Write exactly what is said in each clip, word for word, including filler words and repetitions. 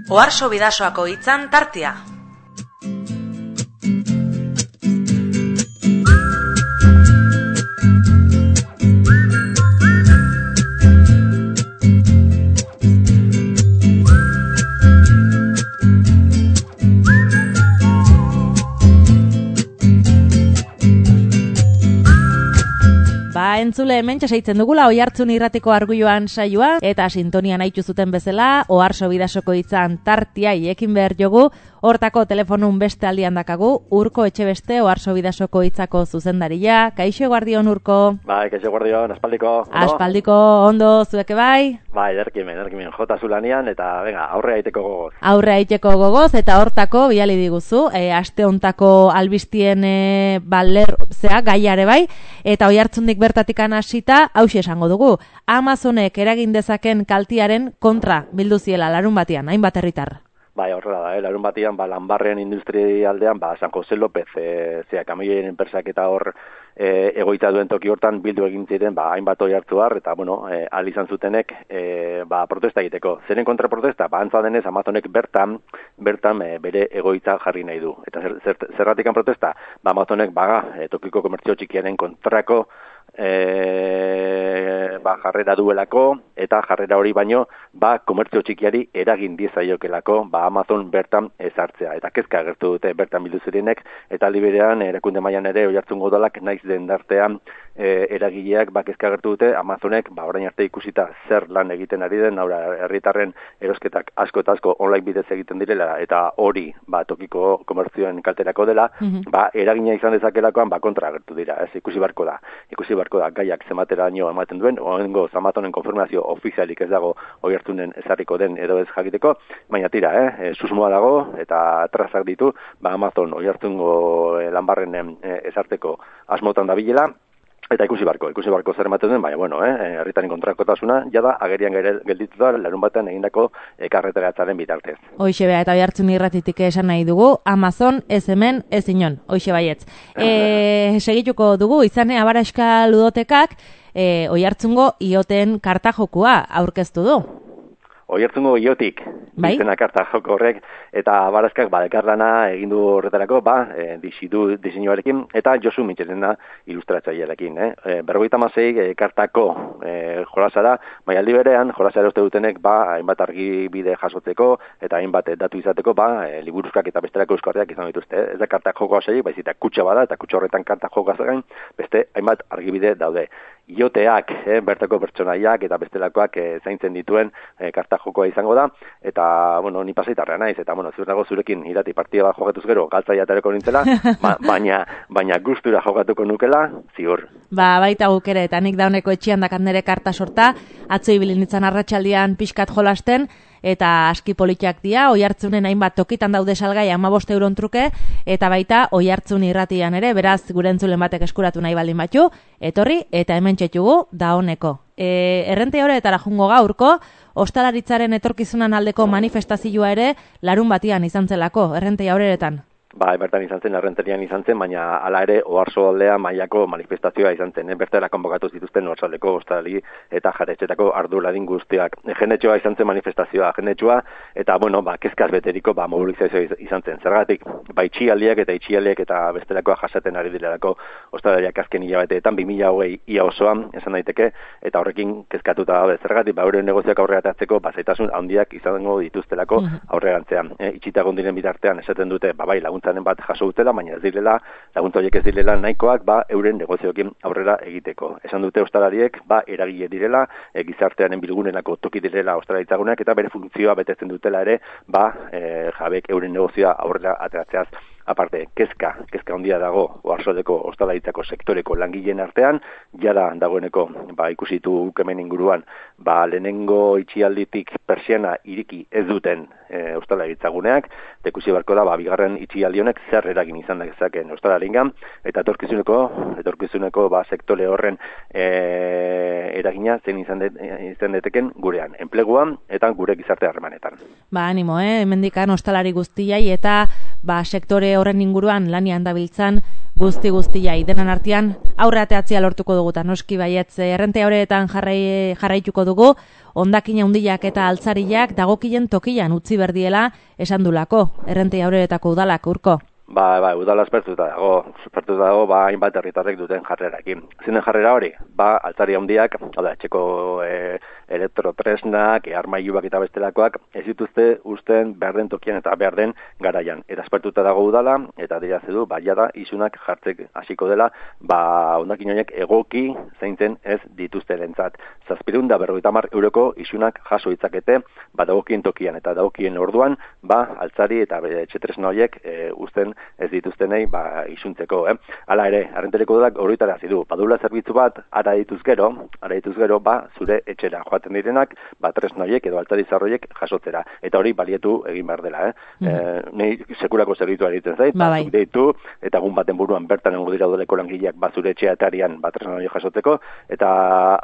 Oharso Bidasoako hitzan tartea. Entzule hemen txasaitzen dugula Oihartzun irratiko arguioan saioa eta sintonian aitu zuten bezala Oharso Bidasoko hitzan tartia iekin behar jogu. Hortako telefonun beste aldian dakagu Urko Etxebeste Oharso Bidasoko hitzako zuzendaria. Kaixo guardion Urko. Bai, kaixo guardion, aspaldiko. Aspaldiko ondo zueke bai? Bai, erkimen, erkimen, jota zulanian eta venga, aurre aiteko gogoz. Aurre aiteko gogoz eta hortako biali diguzu, e, aste hontako albistien e, baler, zea, gaiare bai, eta Oihartzundik bertatik hasita hauxe esango dugu. Amazonek eragin dezaken kaltiaren kontra bildu ziela larun batean, hainbat herritar. Bai, horrela da, eh? Larun batean, ba, Lanbarren industrialdean, ba, San Jose López, e, zea, kamioien enpresak eta hor e, egoita duen toki hortan bildu egin ziren, ba, hainbat Oihartzuar, eta, bueno, e, ahal izan zutenek, e, ba, protesta egiteko. Zeren kontra protesta? Ba, antza denez, Amazonek bertan, bertan e, bere egoitza jarri nahi du. Eta zer, zer, zerratikan protesta? Ba, Amazonek, baga, e, tokiko komertzio txikiaren kontrako, E, ba, jarrera duelako eta jarrera hori baino ba, komertzio txikiari eragin diezaiokelako ba, Amazon bertan ezartzea eta kezka agertu dute bertan bildu zirenek eta liberean erakunde mailan ere Oihartzungo udalak naiz den dartean e, eragileak ba, kezka agertu dute Amazonek ba, orain arte ikusita zer lan egiten ari den haura herritarren erosketak asko eta asko online bidez egiten direla eta hori ba, tokiko komertzioen kalterako dela mm-hmm. ba, eragina izan dezakelakoan ba, kontra agertu dira ez ikusi barko da ikusi barko da gaiak zemateraino ematen duen, oengo Amazonen konfirmazio ofizialik ez dago Oihartzunen ezarriko den edo ez jakiteko, baina tira, eh, e, susmoa dago eta trazak ditu, ba Amazon Oihartzungo e, Lanbarren e, ezarteko asmotan dabilela, eta ikusi barko, ikusi barko zer ematen duen, baina bueno, eh, herritaren kontrakotasuna jada agerian gelditu da larun batean egindako e, karreteratzaren bitartez. Hoixe bea eta Oihartzun irratitik esan nahi dugu, Amazon ez hemen ez inon, hoixe baietz. E, segituko dugu, izane Abaraska ludotekak e, Oihartzungo ioten kartajokua aurkeztu du. Oihartzungo iotik, bai? Izena karta joko horrek, eta Abaraskak badekarlana egin du horretarako, ba, e, disidu diseinuarekin, eta Josu Mitxerena ilustratzailearekin. Eh? E, berrogeita hamasei e, kartako e, jolasara, bai aldi berean, jolasara uste dutenek, ba, hainbat argibide jasotzeko, eta hainbat datu izateko, ba, e, liburuzkak eta bestelako euskarriak izan dituzte. Ez da karta joko hasaiek, baizik eta kutxa bada, eta kutxa horretan karta joko gain, beste hainbat argibide daude. Ioteak, eh, bertako pertsonaiak eta bestelakoak eh, zaintzen dituen eh, karta jokoa izango da, eta, bueno, ni pasaitarra naiz, eta, bueno, ziur dago zurekin irati partida bat jokatuz gero, galtzaia aterako nintzela, ba, baina, baina gustura jokatuko nukela, ziur. Ba, baita guk ere, eta nik dauneko etxian dakat nere karta sorta, atzo ibili nintzen arratsaldean pixkat jolasten, eta aski politiak dira, Oihartzunen hainbat tokitan daude salgai hamabost euron truke, eta baita Oihartzun irratian ere, beraz gure entzulen batek eskuratu nahi baldin batu, etorri eta hemen txetugu da honeko. E, errente horretara jungo gaurko, ostalaritzaren etorkizunan aldeko manifestazioa ere larun batian izan zelako, errente horretan. Ba, bertan izan zen, errenterian izan zen, baina hala ere Oharso aldea mailako manifestazioa izan zen. Eh? Bertara konbokatu zituzten Oharsoaldeko ostalari eta jaretxetako arduradin guztiak. Jendetsua izan zen manifestazioa, jendetsua, eta, bueno, ba, kezkaz beteriko ba, mobilizazioa izan zen. Zergatik, ba, itxialdiak eta itxialdiak eta bestelakoa jasaten ari direlako ostalariak azken hilabeteetan, bi mila hogei ia osoan, esan daiteke, eta horrekin kezkatuta daude. Zergatik, ba, euren negozioak aurrera atatzeko, ba, zaitasun handiak izango dituztelako aurrerantzean. Eh? Itxita gondiren bitartean esaten dute, ba, bai, lagun bat jaso dutela, baina ez direla, laguntza horiek ez direla nahikoak, ba, euren negozioekin aurrera egiteko. Esan dute ostalariek, ba, eragile direla, e, gizartearen bilgunenako toki direla ostalaritzaguneak, eta bere funtzioa betetzen dutela ere, ba, e, jabek euren negozioa aurrera ateratzeaz. Aparte, kezka, kezka handia dago Oharsoaldeko ostalaritzako sektoreko langileen artean, jada dagoeneko, ba, ikusitu hemen inguruan, ba, lehenengo itxialditik persiana iriki ez duten e, ostalaritzaguneak, eta ikusi barko da, ba, bigarren itxialdi honek zer eragin izan dezaken ostalaringan, eta etorkizuneko, etorkizuneko ba, sektore horren e, eragina zen izan, de, izan deteken gurean, enpleguan eta gure gizarte harremanetan. Ba, animo, eh? Hemendikan ostalari guztiai eta ba, sektore horren inguruan lanian dabiltzan guzti guztia idenen artean aurre ateatzea lortuko dugu, eta noski baietz errente horretan jarrai, jarraituko dugu, hondakin handiak eta altzariak dagokilen tokian utzi berdiela esan dulako, errente horretako udalak, Urko. Ba, ba, udala espertuta dago, espertuta dago, ba, hainbat herritarrek duten jarrerakin. Zinen jarrera hori, ba, altzari handiak, oda, etxeko e, elektrotresnak, e, armailuak eta bestelakoak, ez dituzte usten behar den tokian eta behar den garaian. Eta espertuta dago udala, eta dira zedu, ba, jada isunak jartzek hasiko dela, ba, hondakin horiek egoki zeintzen ez dituzte lentzat. Zazpirun da berrogeita hamar euroko isunak jaso itzakete, ba, dagokien tokian eta dagokien orduan, ba, altzari eta etxetresna horiek e, usten ez dituztenei ba, isuntzeko. Eh? Hala ere, arrentereko dudak horietara zidu, badula zerbitzu bat, ara dituz gero, ara dituz gero, ba, zure etxera joaten direnak, ba, tresna horiek edo altzari zarroiek jasotzera. Eta hori balietu egin behar dela. Eh? Mm. E, nei sekurako zerbitzua egiten zait, ba, zuk deitu, eta egun baten buruan bertan engu dira udaleko langileak ba, zure etxea etarian ba, tresna horiek jasotzeko, eta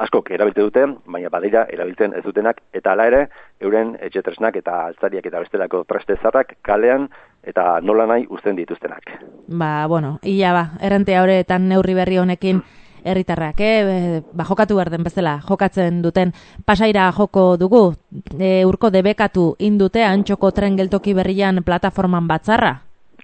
askok erabilte dute, baina badira erabiltzen ez dutenak, eta hala ere, euren etxe tresnak eta altzariak eta bestelako treste zarrak kalean eta nola nahi uzten dituztenak. Ba, bueno, ia ba, errente horretan neurri berri honekin herritarrak, eh? Ba, jokatu behar den bezala, jokatzen duten Pasaira joko dugu, e, Urko debekatu indute Antxoko tren geltoki berrian plataforman batzarra?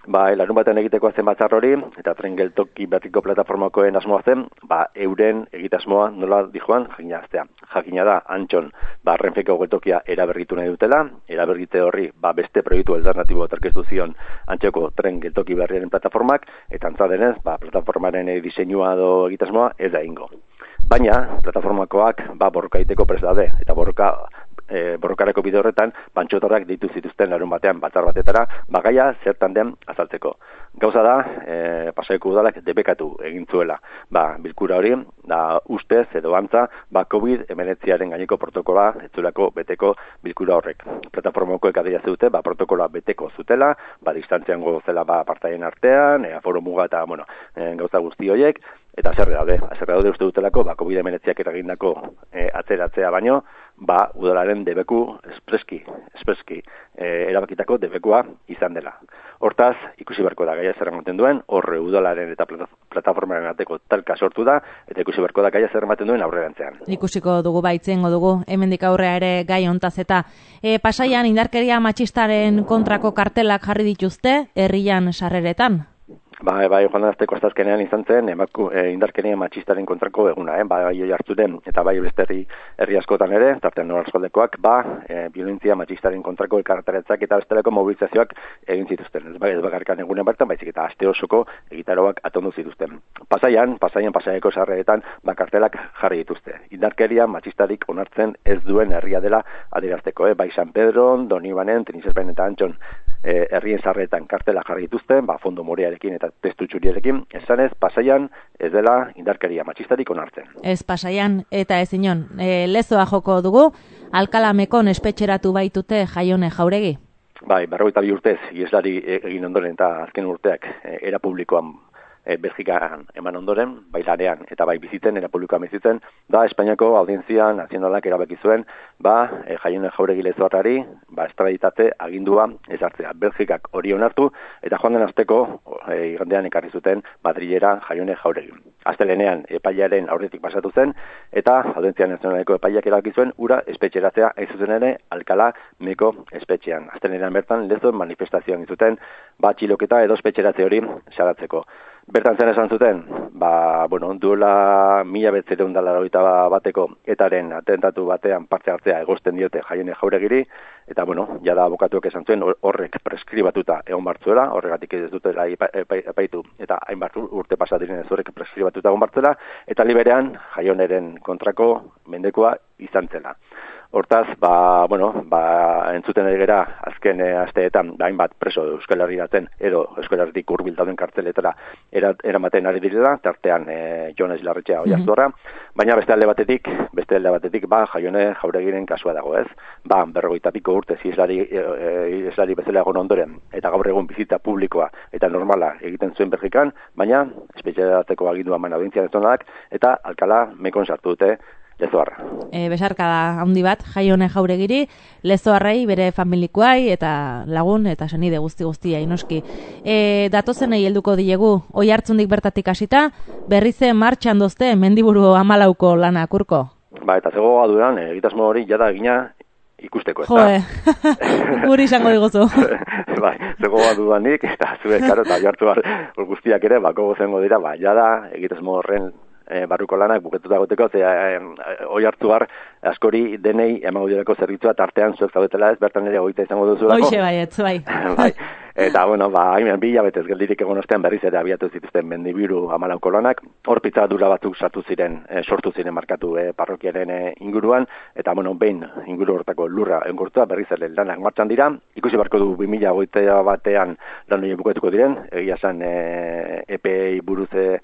Ba, larun baten egiteko zen batzar hori, eta tren geltoki berriko plataformakoen asmoa zen, ba, euren egitasmoa nola dijoan jakinaztea. Jakina da, Antxon, ba, Renfeko geltokia eraberritu nahi dutela, erabergite horri, ba, beste proiektu alternatibo aterkeztu zion Antxoko tren geltoki berriaren plataformak, eta antza denez, ba, plataformaren diseinua do egitasmoa ez da ingo. Baina, plataformakoak, ba, borrokaiteko prest daude, eta borroka E, borrokareko bide horretan, pantxotarrak ditu zituzten larun batean batzar batetara, bagaia zertan den azaltzeko. Gauza da, e, Pasaiko udalak debekatu egin zuela. Ba, bilkura hori, da ustez edo antza, ba, covid hemeretziaren gaineko protokola ez zuelako beteko bilkura horrek. Plataformakoek adira zeute, ba, protokola beteko zutela, ba, distantzian gozela ba, partaien artean, e, aforo muga eta, bueno, e, gauza guzti horiek, eta zerre daude, zerre daude uste dutelako, ba, covid hemeretziak eragindako e, atzeratzea baino, ba, udalaren debeku espreski, espreski e, erabakitako debekua izan dela. Hortaz, ikusi beharko da gaia zer ematen duen, horre udalaren eta plataformaren arteko talka sortu da, eta ikusi beharko da gaia zer ematen duen aurrerantzean. Ikusiko dugu baitzengo dugu, hemendik aurrea ere gai hontaz eta e, Pasaian indarkeria matxistaren kontrako kartelak jarri dituzte, herrian sarreretan. Bai, bai, joan azteko azkenean izan zen, emaku, e, indarkeria matxistaren kontrako eguna, eh? Bai, hartzuren, eta bai beste herri, herri askotan ere, tartean norazkoldekoak, ba, e, violentzia matxistaren kontrako elkarretaretzak eta bestelako mobilizazioak egin zituzten. Ez, bai, ez bakarkan egunen bertan, baizik eta aste osoko egitaroak atondu zituzten. Pasaian, pasaian, pasaiako sarreretan, ba, kartelak jarri dituzte. Indarkeria matxistarik onartzen ez duen herria dela adierazteko, eh? Bai, San Pedron, Donibanen, Tenisespen eta Antxon, e, herrien sarreretan kartela jarri dituzte, ba, fondo morearekin eta testu txuriarekin, esanez, Pasaian ez dela indarkeria matxistarik onartzen. Ez Pasaian eta ez inon, e, lezoa joko dugu, Alkalamekon espetxeratu baitute Jaione Jauregi. Bai, berrogeita bi urtez, ieslari egin ondoren eta azken urteak e, era publikoan e, Belgikan eman ondoren, bai lanean eta bai bizitzen, era publikoan bizitzen, da Espainiako Audientzia Nazionalak erabaki zuen, ba, e, Jaione Jauregi lezoarrari, ba, estraditate agindua ezartzea. Belgikak hori onartu, eta joan den asteko, e, igandean ekarri zuten Madrilera Jaione Jauregi. Astelenean epailearen aurretik pasatu zen, eta Audientzia Nazionaleko epaileak erabaki zuen, ura espetxeratzea ez zuzen ere Alkala Meko espetxean. Astelenean bertan lezo manifestazioan zuten, ba, txiloketa edo espetxeratze hori salatzeko. Bertan zen esan zuten, ba, bueno, duela mila betzeren dala bateko etaren atentatu batean parte hartzea egozten diote Jaione Jauregiri, eta, bueno, jada abokatuak esan zuen horrek preskribatuta egon bartzuela, horregatik ez dutela epaitu, eta hainbat urte pasadiren ez horrek preskribatuta egon bartzuela, eta liberean Jaioneren kontrako mendekoa izan zela. Hortaz, ba, bueno, ba, entzuten ari gera azken e, asteetan, ba, hainbat preso Euskal Herriratzen edo Euskal Herritik hurbil dauden kartzeletara eramaten ari direla, tartean e, Jones Larretxea Oiartzundarra, mm-hmm. baina beste alde batetik, beste alde batetik, ba, Jaione Jauregiren kasua dago, ez? Ba, berrogeita piko urte islari, e, islari bezala egon ondoren, eta gaur egun bizita publikoa eta normala egiten zuen Belgikan, baina espetxeratzeko agindua eman Audientzia Nazionalak eta Alkala Mekon sartu dute Lezoarra. E, besarkada handi bat, Jaione Jauregiri, Lezoarrei, bere familikoai, eta lagun, eta senide guzti guztia inoski. E, datozenei helduko diegu, oi hartzundik bertatik hasita, berrize martxan dozte, mendiburu amalauko lanak, Urko. Ba, eta zegoa dudan, egitasmo hori jada egina ikusteko, ez da? Joe, guri izango diguzu. Bai, zegoa dudanik, eta zue, karo, eta jartu bar, guztiak ere, bako gozengo dira, ba, jada egitasmo horren E, barruko lanak buketuta goteko, ze e, e, oi hartu har, askori denei emango direko zerbitzua tartean zuek zaudetela ez, bertan ere goita izango duzulako. Hoxe bai, ez bai. Bai. Eta, bueno, ba, hain bi hilabetez geldirik egon ostean berriz ere abiatu zituzten mendibiru amalauko lanak, hor pitzadura batzuk sartu ziren, e, sortu ziren markatu e, parrokiaren e, inguruan, eta, bueno, behin inguru hortako lurra engurtua berriz ere lanak martxan dira, ikusi barko du bi mila hogeita batean lan hori buketuko diren, egia esan e, E P E buruz e,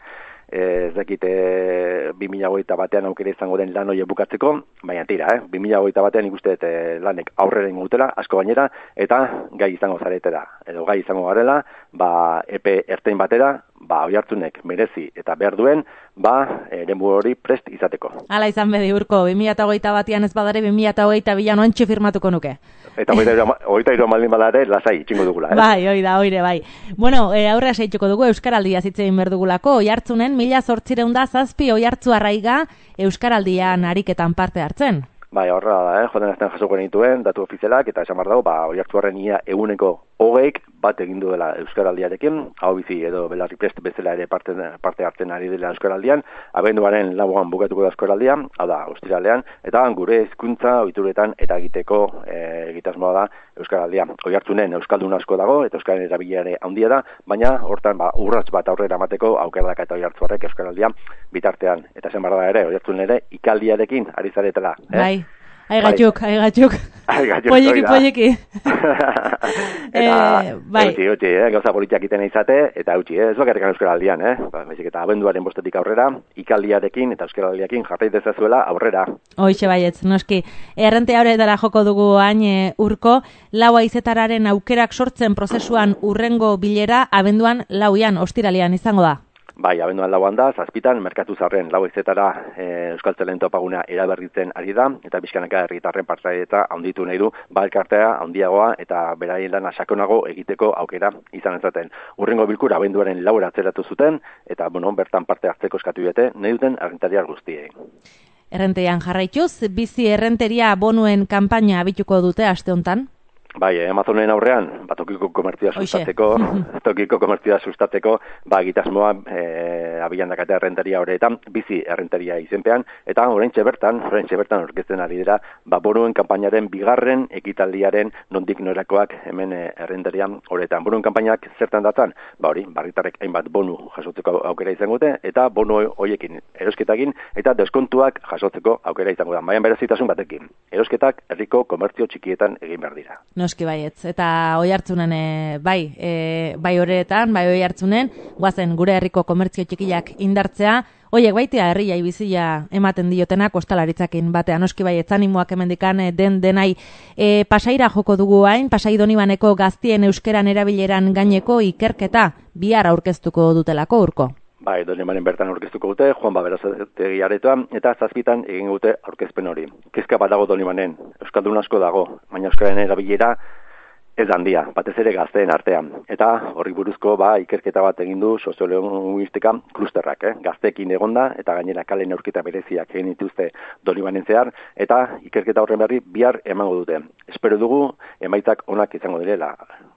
ez dakite bi mila hogeita batean aukera izango den lan hori bukatzeko, baina tira, eh? bi mila hogeita batean ikuste e, lanek aurrera ingutela, asko gainera, eta gai izango zaretela, edo gai izango garela, ba, epe ertain batera, ba, oihartzunek merezi eta behar duen, ba, eremu hori prest izateko. Hala izan bedi, Urko, bi mila hogeita batean ez badare, bi mila hogeita bian oantxe firmatuko nuke. Eta hogeita iru maldin badare, lasai, txingo dugula, eh? Bai, oida, oire, bai. Bueno, e, aurrea seitzuko dugu, Euskaraldia zitzein berdugulako, oihartzunen, mila zortzireun da zazpi oihartzu arraiga Euskaraldian ariketan parte hartzen. Bai, horra da, eh? Joden azten jasoko genituen, datu ofizialak, eta esan bar dago, ba, oihartzu harren ia eguneko hogeik bat egin duela Euskaraldiarekin, hau bizi edo belarri prest bezala ere parte, parte hartzen ari dela Euskaraldian, abenduaren lauan bukatuko da Euskaraldia, hau da, ostiralean, eta gure hizkuntza ohituretan eta egiteko e, egitasmoa da Euskaraldia. Oihartzunen euskaldun asko dago, eta euskaren erabilera handia da, baina hortan ba, urrats bat aurrera emateko aukerak eta oihartzu harrek Euskaraldia bitartean. Eta zen barra da ere, oihartzun ere ikaldiarekin ari zaretela. Eh? Bai. Aigatxuk, aigatxuk. Polleki, polleki. Eta, bai. Eutxi, eutxi, eh? Gauza politiak iten izate, eta eutxi, eh? Ez bakarrikan Euskaraldian, eh? Ba, bezik, eta abenduaren bostetik aurrera, ikaldiarekin eta Euskaraldiakin jarrai dezazuela aurrera. Hoixe baietz, noski. Errente horretara joko dugu hain e, Urko, lau aizetararen aukerak sortzen prozesuan urrengo bilera abenduan lauian, ostiralian izango da. Bai, abenduan lauan da, zazpitan, merkatu zarren lau izetara e, Euskal Zelen topaguna eraberritzen ari da, eta bizkanaka herritarren partaidetza handitu nahi du, balkartea handiagoa eta beraien lana sakonago egiteko aukera izan ezaten. Urrengo bilkura abenduaren laura atzeratu zuten, eta bueno, bertan parte hartzeko eskatu bete, nahi duten errentariar guztiei. Errentean jarraituz, bizi errenteria bonuen kanpaina abituko dute aste hontan? Bai, Amazonen aurrean, ba, tokiko komertzioa sustatzeko, tokiko komertzioa sustatzeko, ba, egitasmoa e, abilan dakatea errentaria horretan, bizi errentaria izenpean, eta oraintxe bertan, oraintxe bertan orkesten ari dira, ba, boruen kanpainaren bigarren ekitaldiaren nondik norakoak hemen e, errentaria horretan. Boruen kanpainak zertan datzan, ba, hori, barritarrek hainbat bonu jasotzeko aukera izango dute, eta bonu horiekin erosketakin, eta deskontuak jasotzeko aukera izango da. Baian berezitasun batekin, erosketak herriko komertzio txikietan egin behar dira. Noski baietz, eta oi hartzunen, e, bai, e, bai horretan, bai oi hartzunen, guazen gure herriko komertzio txikiak indartzea, oiek baitea herriai bizia ematen diotenak ostalaritzakin batean, noski baietz animoak hemendikan den denai. E, pasaira joko dugu hain, pasai Donibaneko gaztien euskeran erabileran gaineko ikerketa bihar aurkeztuko dutelako, Urko. Bai, Donibanen bertan aurkeztuko dute, Juan Baberazategi aretoan, eta zazpitan egin dute aurkezpen hori. Kezka bat dago Donibanen, euskaldun asko dago, baina euskaren erabilera ez handia, batez ere gazteen artean. Eta horri buruzko ba, ikerketa bat egin du soziolinguistika klusterrak, eh? Gazteekin egonda, eta gainera kale neurketa bereziak egin dituzte Donibanen zehar, eta ikerketa horren berri bihar emango dute. Espero dugu, emaitzak onak izango direla.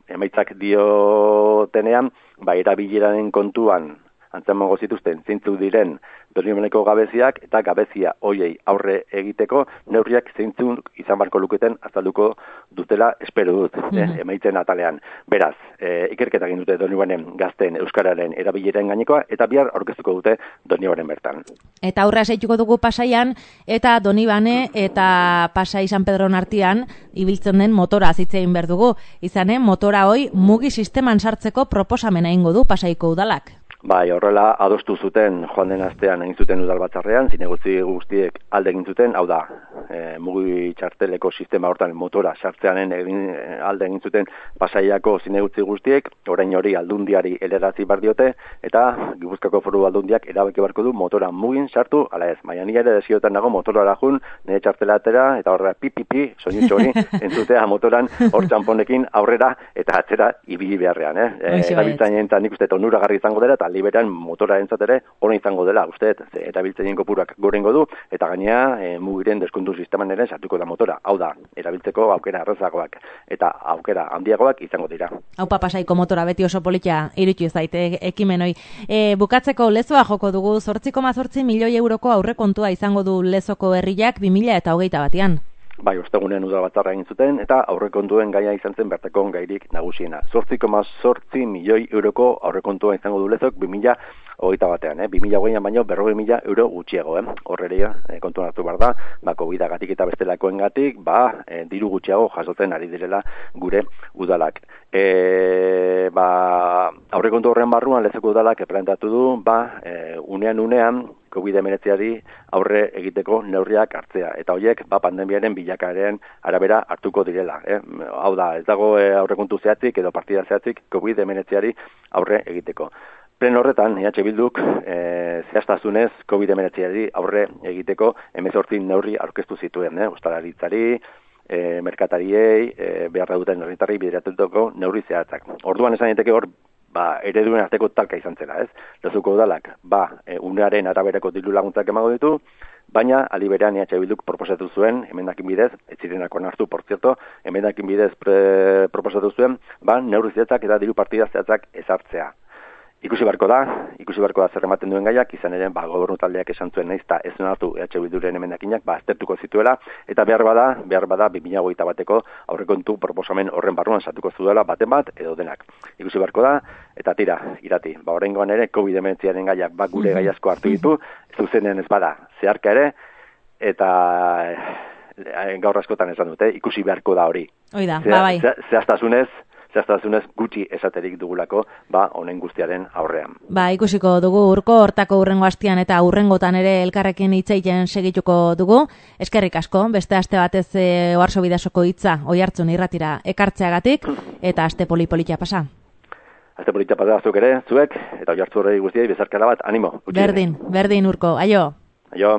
Emaitzak diotenean, ba, erabileraren kontuan, antzemango zituzten zeintzuk diren Donibaneko gabeziak eta gabezia hoiei aurre egiteko neurriak zeintzuk izan barko luketen azalduko dutela espero dut, mm-hmm. eh, emaitzen atalean. Beraz, eh, ikerketa egin dute Donibanen gazten euskararen erabileren gainekoa eta bihar aurkeztuko dute Donibanen bertan. Eta aurra seituko dugu Pasaian eta Donibane eta Pasai San Pedron artean ibiltzen den motora zitzein behar dugu. Izanen motora hoi mugi sisteman sartzeko proposamena egingo du Pasaiko udalak. Bai, horrela adostu zuten joan den astean egin zuten udalbatzarrean, zinegotzi guztiek alde egin zuten, hau da, e, mugi txarteleko sistema hortan motora sartzeanen egin, alde egin zuten Pasaiako zinegotzi guztiek, orain hori aldundiari helarazi bar diote, eta Gipuzkoako Foru Aldundiak erabaki barko du motora mugin sartu, ala ez, baina ni ere desiotan nago motorara jun, nire txartela atera, eta horrela pipipi, soinutxo hori, entzutea motoran hor txamponekin aurrera eta atzera ibili beharrean, eh? E, erabiltzainen eta nik uste onuragarri izango dela, eta liberan motora entzatere hori izango dela, uste, erabiltzaien kopurak gorengo du, eta gainea e, mugiren deskontu sisteman ere sartuko da motora. Hau da, erabiltzeko aukera errazagoak eta aukera handiagoak izango dira. Hau Pasaiko motora beti oso politia irutu zaite ekimenoi. E, bukatzeko lezoa joko dugu, zortzi koma zortzi milioi euroko aurrekontua izango du Lezoko herriak bi mila hogeita batean. Bai, ostegunean udalbatzarra egin zuten, eta aurrekontuen gaia izan zen bertako gairik nagusiena. zortzi koma zortzi milioi euroko aurrekontua izango du Lezok bi mila hogeita batean, eh? bi mila hogeian baino berrogei mila euro gutxiago, eh? Horreria, eh, kontuan hartu behar da, ba, COVID-agatik eta bestelakoengatik, ba, eh, diru gutxiago jasotzen ari direla gure udalak. E, ba, aurrekontu horren barruan Lezoko udalak planteatu du, ba, e, unean unean, COVID hemeretziari aurre egiteko neurriak hartzea. Eta horiek ba, pandemiaren bilakaeren arabera hartuko direla. Eh? Hau da, ez dago e, aurrekontu zehatzik edo partida zehatzik COVID hemeretziari aurre egiteko. Plen horretan, E H Bilduk e, zehaztasunez COVID hemeretziari aurre egiteko hemezortzi neurri aurkeztu zituen. Eh? Ostalaritzari, e, merkatariei, e, beharra duten herritarrei bideratutako neurri zehatzak. Orduan esan daiteke hor, ba, ereduen arteko talka izan zela, ez? Lezoko udalak, ba, e, unearen araberako diru laguntzak emango ditu, baina aliberean E H Bilduk proposatu zuen, emendakin bidez, ez zirenako hartu, por cierto, emendakin bidez pre, proposatu zuen, ba, neurri zehatzak eta diru partida zehatzak ezartzea. Ikusi barko da, ikusi barko da zer ematen duen gaiak, izan ere, ba, gobernu taldeak esan zuen naiz eta ez onartu E H Bilduren emendakinak, ba, aztertuko zituela, eta behar bada, behar bada, bi mila hogeita bateko aurrekontu proposamen horren barruan sartuko zuela baten bat edo denak. Ikusi barko da, eta tira, irati, ba, oraingoan ere, COVID hemeretziaren gaiak, ba, gure gai asko hartu ditu, zuzenean ez bada, zeharka ere, eta e, gaur askotan esan dute, ikusi beharko da hori. Oida, ba, bai. Zehaztasunez, zehaztasunez gutxi esaterik dugulako, ba, honen guztiaren aurrean. Ba, ikusiko dugu urko hortako urrengo astian eta urrengotan ere elkarrekin hitzeiten segituko dugu. Eskerrik asko, beste aste batez e, Oarso Bidasoko hitza Oiartzun irratira ekartzeagatik eta aste poli-politia pasa. Aste politia pasa zuk ere, zuek, eta Oiartzun horrei guztiei bezarkara bat, animo. Berdin, berdin urko, aio. Aio.